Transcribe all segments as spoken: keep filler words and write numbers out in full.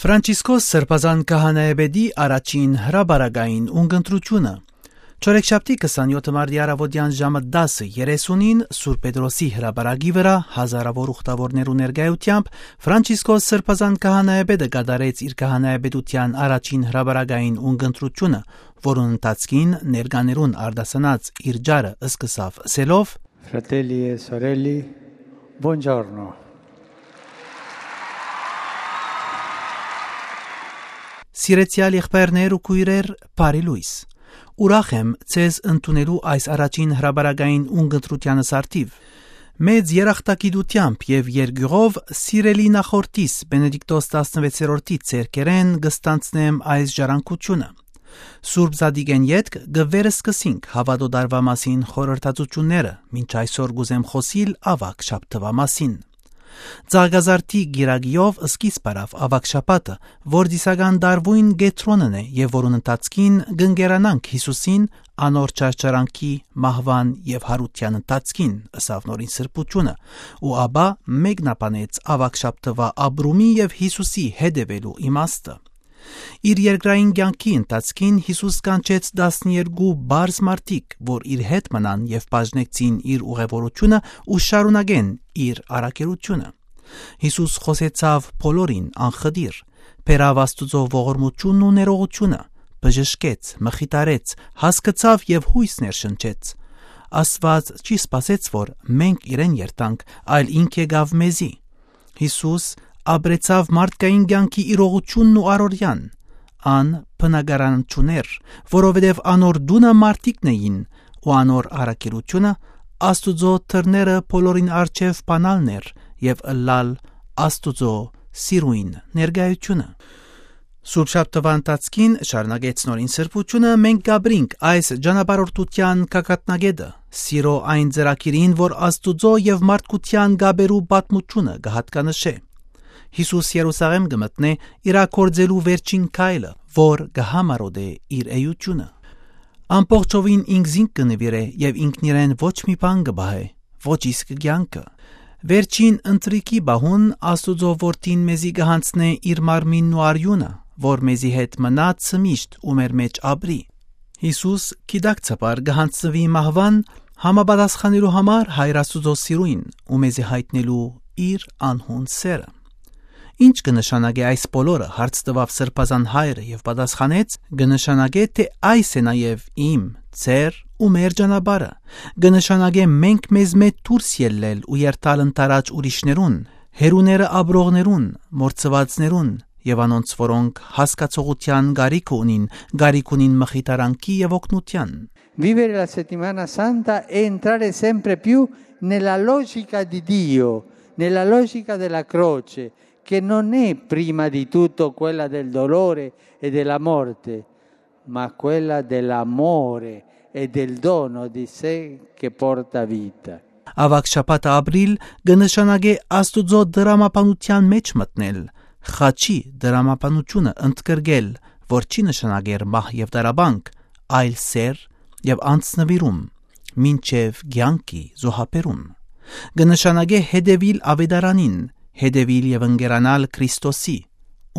Ֆրանցիսկոս Սրբազան Քահանայապետի առաջին հրապարակային ունկնդրութիւնը։ Չորեքշաբթի քսանեօթ մարտի առաւօտեան ժամը տասը երեսունին Սուրբ Պետրոսի հրապարակի վրայ հազարաւոր ուխտաւորներու ներկայութեամբ Ֆրանցիսկոս Սրբազան Քահանայապետը կատարեց իր քահանայապետութեան առաջին հրապարակային ունկնդրութիւնը, որուն ընթացքին ներկաներուն արտասանած իր ճառը սկսաւ ըսելով. Fratelli e sorelle, buongiorno. Սիրեցեալ եղբայրներ ու քոյրեր, բարի լոյս։ Ուրախ եմ ձեզ ընդունելու այս առաջին հրապարակային ունկնդրութեանս առթիւ։ Մեծ երախտագիտութեամբ եւ երկիւղով սիրելի նախորդիս Բենեդիկտոս տասնվեցերորդի ձեռքերէն կստանցնեմ այս ժառանգութիւնը։ Սուրբ Զատիկէն ետք կը վերսկսենք հաւատոյ տարուայ մասին խորհրդածութիւնները, մինչ այսօր կ'ուզեմ խօսիլ Աւագ շաբթուայ մասին։ Ծաղկազարդի կիրակիով սկիզբ առաւ Աւագ շաբաթը, որ ծիսական տարուին կեդրոնն է եւ որուն ընթացքին կ'ընկերանանք Յիսուսին, անոր չարչարանքի, մահուան եւ յարութեան ընթացքին, ըսաւ Նորին Սրբութիւնը, ու ապա մեկնաբանեց Աւագ շաբթուայ ապրումի եւ Յիսուսի հետեւելու իմաստը։ Իր երկրային կեանքի ընթացքին Յիսուս կանչեց տասներկու պարզ մարդիկ, որ իր հետ մնան եւ բաժնեկցին իր ուղևորութիւնը ու շարունակեն իր առաքելութիւնը։ Յիսուս խօսեցաւ բոլորին անխտիր, բերաւ Աստուծոյ ողորմութիւնն ու ներողութիւնը, բժշկեց, մխիթարեց, հասկցաւ եւ յոյս ներշնչեց։ Աստուած չի սպասեց, որ մենք իրեն երթանք, այլ ինք եկաւ մեզի։ Յիսուս ապրեցաւ մարդկային կեանքի իրողութիւնն ու առօրեան։ Ան բնակարան չունէր, որովհետեւ անոր տունը մարդիկն էին, ու անոր առաքելութիւնը Աստուծոյ դռները բոլորին առջեւ բանալն էր եւ ըլլալ Աստուծոյ սիրոյն ներկայութիւնը։ Սուրբ շաբթուայ ընթացքին, շարունակեց Նորին Սրբութիւնը, մենք կ'ապրինք այս ճանապարհորդութեան գագաթնակէտը, սիրոյ այն ծրագիրին, որ Աստուծոյ եւ մարդկութեան կապերու պատմութիւնը կը յատկանշէ։ Յիսուս Երուսաղէմ կը մտնէ իրագործելու վերջին քայլը, որ կը համառօտէ իր էութիւնը։ Ամբողջովին ինքզինք կը նուիրէ եւ ինքնիրեն ոչ մի բան կը պահէ, ոչ իսկ կեանքը։ Վերջին ընթրիքի պահուն Աստուծոյ Որդին մեզի կը յանձնէ իր մարմինն ու արիւնը, որ մեզի հետ մնայ միշտ ու մեր մէջ ապրի։ Յիսուս գիտակցաբար կը յանձնուի մահուան, համապատասխանելու համար Հայր Աստուծոյ սիրոյն ու մեզի յայտնելու իր անհուն սէրը։ «Ի՞նչ կը նշանակէ այս բոլորը», հարց տուաւ Սրբազան Հայրը եւ պատասխանեց. «Կը նշանակէ, թէ այս է նաեւ իմ, ձեր ու մեր ճանապարհը։ Կը նշանակէ մենք մեզմէ դուրս ելլել ու երթալ ընդառաջ ուրիշներուն, հեռուները ապրողներուն, մոռցուածներուն եւ անոնց, որոնք հասկացողութեան կարիքը ունին, կարիք ունին մխիթարանքի եւ օգնութեան»։ Vivere la settimana santa è entrare sempre più nella logica di Dio, nella logica della croce, che non è prima di tutto quella del dolore e della morte, ma quella dell'amore e del dono di sé che porta vita. Աւագ շաբաթը ապրիլ կը նշանակէ Աստուծոյ դրամաբանութեան մէջ մտնել, խաչի դրամաբանութիւնը ընդգրկել, որ չի նշանակեր մահ եւ տառապանք, այլ սէր եւ անձնուիրում, մինչեւ կեանքի զոհաբերում։ Կը նշանակէ հետեւիլ աւետարանին, հետեւիլ եւ ընկերանալ Քրիստոսի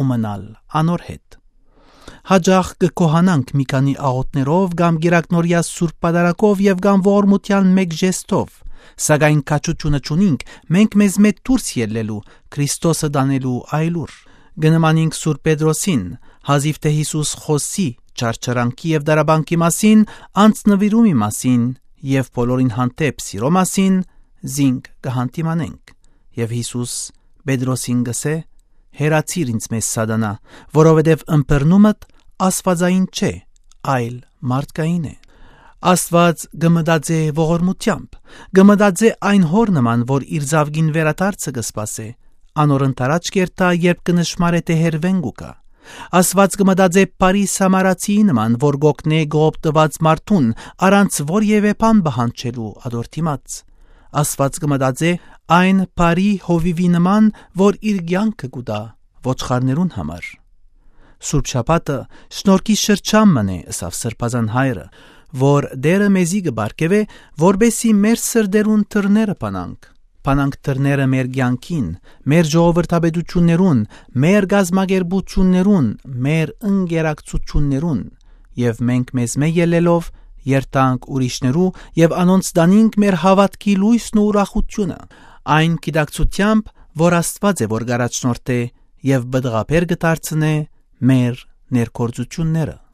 ու մնալ անոր հետ։ Յաճախ կը գոհանանք մի քանի աղօթքներով կամ կիրակնօրեայ սուրբ պատարագով եւ կամ ողորմութեան մէկ ժեստով, սակայն քաջութիւնը չունինք մենք մեզմէ դուրս ելլելու, Քրիստոսը տանելու այլուր։ Կը նմանինք Սուրբ Պետրոսին, հազիւ թէ Յիսուս խօսի չարչարանքի եւ տառապանքի մասին, անձնուիրումի մասին եւ բոլորին հանդէպ սիրոյ մասին, զինք կը յանդիմանենք։ Եւ Յիսուս Պետրոսին կ'ըսէ. «Հեռացիր ինծմէ, Սատանայ, որովհետեւ ըմբռնումդ աստուածային չէ, այլ մարդկային է»։ Աստուած կը մտածէ ողորմութեամբ, կը մտածէ այն հօր նման, որ իր զաւկին վերադարձը կը սպասէ, անոր ընդառաջ կ'երթայ, երբ կը նշմարէ թէ հեռուէն կու գայ։ Աստուած կը մտածէ բարի սամարացիի նման, որ կ'օգնէ կողոպտուած մարդուն, առանց որեւէ բան պահանջելու ատոր դիմաց։ Աստուած կը մտածէ այն բարի հովիւի նման, որ իր կեանքը կու տայ ոչխարներուն համար։ Սուրբ շաբաթը շնորհքի շրջան մըն է, ըսաւ Սրբազան Հայրը, որ Տէրը մեզի կը պարգեւէ, որպէսզի մեր սրտերուն դռները բանանք, բանանք դռները մեր կեանքին, մեր ժողովրդապետութիւններուն, մեր կազմակերպութիւններուն, մեր ընկերակցութիւններուն, եւ մենք մեզմէ ելլելով՝ երթանք ուրիշներու եւ անոնց տանինք մեր հաւատքի լոյսն ու ուրախութիւնը, այն գիտակցութեամբ, որ Աստուած է որ կ'առաջնորդէ եւ պտղաբեր կը դարձնէ մեր ներգործութիւնները»։